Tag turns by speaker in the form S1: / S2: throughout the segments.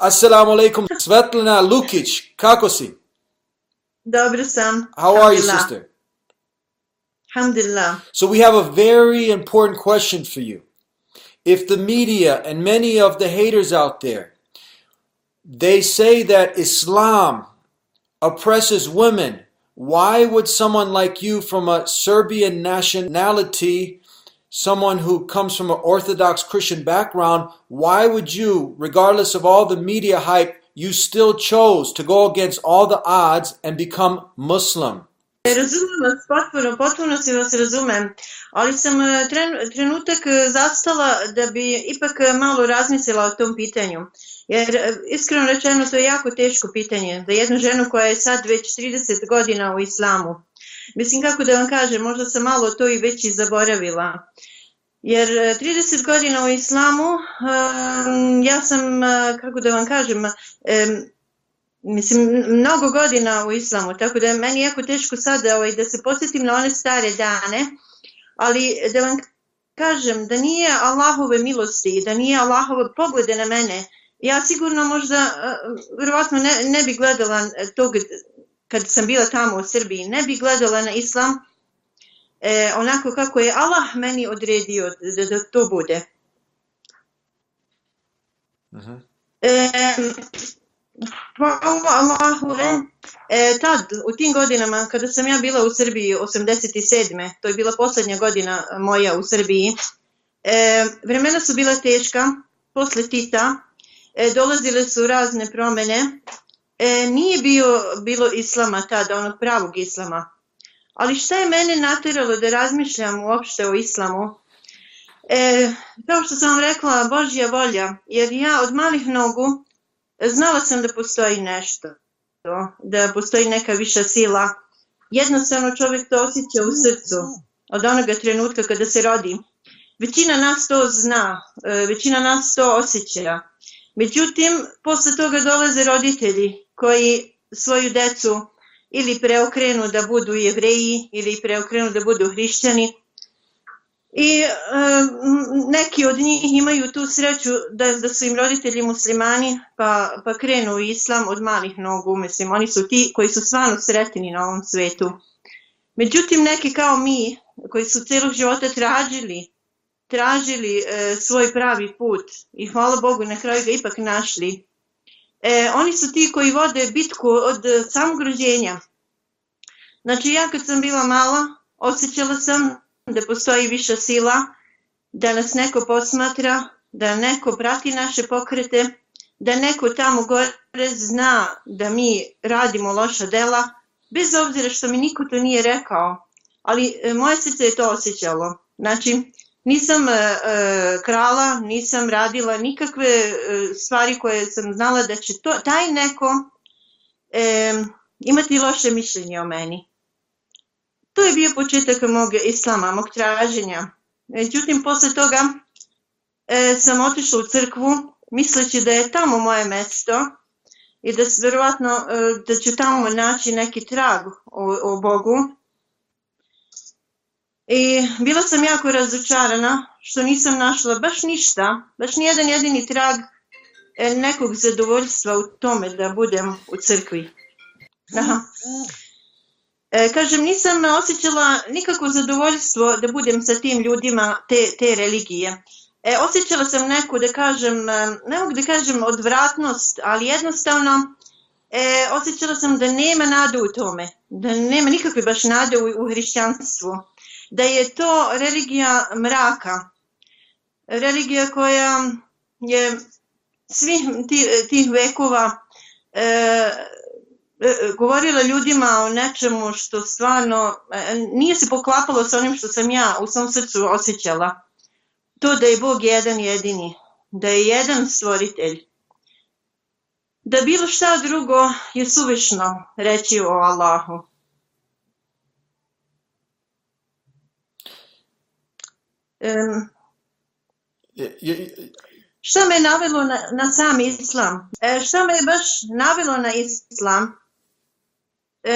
S1: Assalamu alaikum. Svetlana Lukić, kako si?
S2: Dobro sam.
S1: How are you, sister?
S2: Alhamdulillah.
S1: So we have a very important question for you. If the media and many of the haters out there, they say that Islam oppresses women, why would someone like you from a Serbian nationality, someone who comes from an Orthodox Christian background, why would you, regardless of all the media hype, you still chose to go against all the odds and become Muslim?
S2: Razumem vas potpuno si vas razumem, ali sam trenutak zastala da bi ipak malo razmislila o tom pitanju. Jer iskreno rečeno to je jako teško pitanje za jednu ženu koja je sad već 30 godina u islamu. Mislim kako da vam kažem, možda sam malo to i već i zaboravila. Jer 30 godina u islamu, ja sam, kako da vam kažem, mislim, mnogo godina u islamu, tako da je meni jako teško sad da se podsjetim na one stare dane, ali da vam kažem da nije Allahove milosti, da nije Allahove poglede na mene, ja sigurno možda, vjerovatno ne bi gledala tog, kad sam bila tamo u Srbiji, ne bi gledala na islam onako kako je Allah meni odredio da to bude. Hvala Allahu, tad, u tim godinama, kada sam ja bila u Srbiji, 87. To je bila posljednja godina moja u Srbiji, vremena su bila teška, posle Tita, dolazile su razne promjene, nije bilo islama tada, onog pravog islama. Ali šta je mene natjeralo da razmišljam uopšte o islamu? Kao što sam vam rekla, Božja volja, jer ja od malih nogu znala sam da postoji nešto, da postoji neka viša sila. Jednostavno čovjek to osjeća u srcu od onoga trenutka kada se rodi. Većina nas to zna, većina nas to osjeća. Međutim, posle toga dolaze roditelji koji svoju decu ili preokrenu da budu Jevreji ili preokrenu da budu hrišćani. I neki od njih imaju tu sreću da su im roditelji muslimani pa krenu u islam od malih nogu. Mislim, oni su ti koji su stvarno sretni na ovom svetu. Međutim, neki kao mi koji su cijelog života tražili svoj pravi put i hvala Bogu na kraju ga ipak našli. Oni su ti koji vode bitku od samog rođenja. Znači ja kad sam bila mala osjećala sam da postoji viša sila, da nas neko posmatra, da neko prati naše pokrete, da neko tamo gore zna da mi radimo loša dela, bez obzira što mi niko to nije rekao, ali moje srce je to osjećalo. Znači, nisam krala, nisam radila nikakve stvari koje sam znala da će taj neko imati loše mišljenje o meni. To je bio početak mog islama, mog traženja. Međutim, posle toga sam otišla u crkvu, misleći da je tamo moje mesto i da vjerovatno da ću tamo naći neki trag o Bogu. I bila sam jako razočarana što nisam našla baš ništa, baš nijedan jedini trag nekog zadovoljstva u tome da budem u crkvi. Aha. Kažem, nisam osjećala nikakvo zadovoljstvo da budem sa tim ljudima te religije. Osjećala sam neku, da kažem, ne mogu da kažem odvratnost, ali jednostavno osjećala sam da nema nade u tome, da nema nikakve baš nade u hrišćanstvu, da je to religija mraka, religija koja je svih tih vekova govorila ljudima o nečemu što stvarno nije se poklapalo sa onim što sam ja u svom srcu osjećala. To da je Bog jedan jedini, da je jedan stvoritelj. Da bilo šta drugo je suvišno reći o Allahu. Šta me navelo na sam islam? Šta me baš navelo na islam?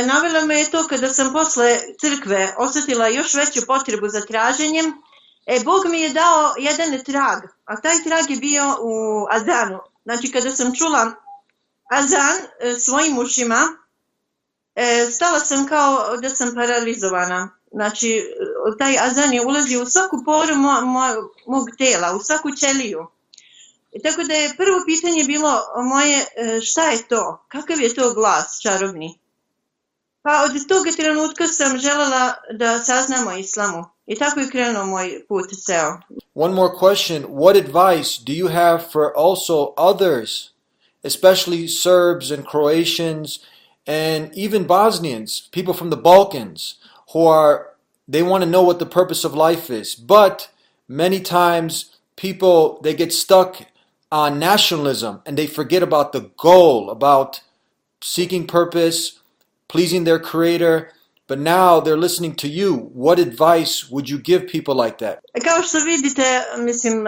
S2: Navelo me je to kada sam posle crkve osjetila još veću potrebu za traženjem. Bog mi je dao jedan trag, a taj trag je bio u azanu. Znači kada sam čula azan svojim ušima, stala sam kao da sam paralizovana. Znači taj azan je ulazio u svaku poru mog tela, u svaku ćeliju. Tako da je prvo pitanje bilo moje, šta je to? Kakav je to glas čarobni? Pa od toga trenutka sam željela da saznam o islamu. I tako je krenuo moj put ceo.
S1: One more question. What advice do you have for also others, especially Serbs and Croatians and even Bosnians, people from the Balkans, they want to know what the purpose of life is, but many times people, they get stuck on nationalism and they forget about the goal, about seeking purpose, pleasing their creator, but now they're listening to you. What advice would you give people like that?
S2: Kao što vidite, mislim,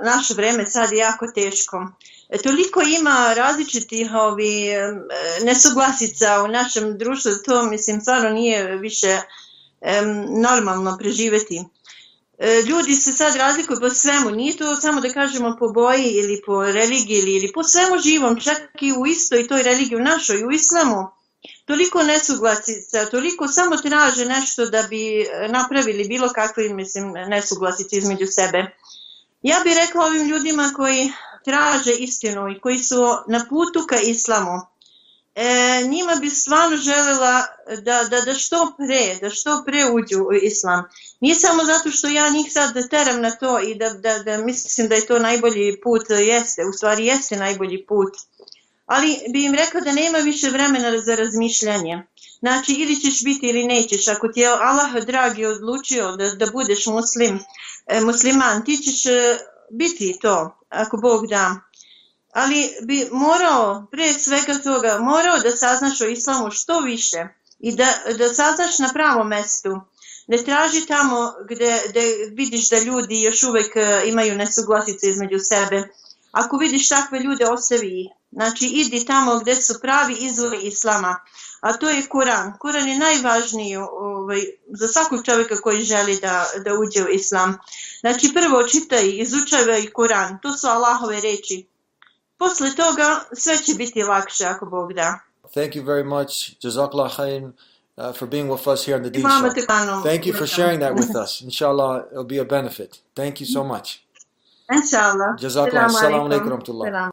S2: naše vreme sad je jako teško. Toliko ima različitih nesuglasica u našem društvu, to mislim stvarno nije više normalno preživeti. Ljudi se sad razlikuju po svemu, nije to samo da kažemo po boji ili po religiji ili po svemu živom, čak i u istoj toj religiji, u našoj, u islamu. Toliko nesuglasica, toliko samo traže nešto da bi napravili bilo kakve, mislim, nesuglasice između sebe. Ja bih rekla ovim ljudima koji traže istinu i koji su na putu ka islamu, njima bi stvarno željela da što pre uđu u islam. Nije samo zato što ja njih sad teram na to i da mislim da je to najbolji put, u stvari jeste najbolji put. Ali bi im rekao da nema više vremena za razmišljanje. Znači, ili ćeš biti ili nećeš. Ako ti je Allah dragi odlučio da budeš musliman, ti ćeš biti to, ako Bog da. Ali bi morao, prije svega toga, da saznaš o islamu što više i da saznaš na pravom mestu. Ne traži tamo gdje vidiš da ljudi još uvijek imaju nesuglasice između sebe. Ako vidiš takve ljude, ostavi ih. Znači, idi tamo gdje su pravi izvori islama, a to je Kuran. Kuran je najvažniji za svakog čovjeka koji želi da uđe u islam. Znači, prvo čitaj, izučavaj Kuran, to su Allahove reči. Posle toga sve će biti lakše ako Bog da.
S1: Thank you very much, Jazakallah khairan, for being with us here on the D Show. Thank you for sharing that with us. Inshallah, it'll be a benefit. Thank you so much.
S2: Inshallah.
S1: Jazakallah. Assalamu alaikum.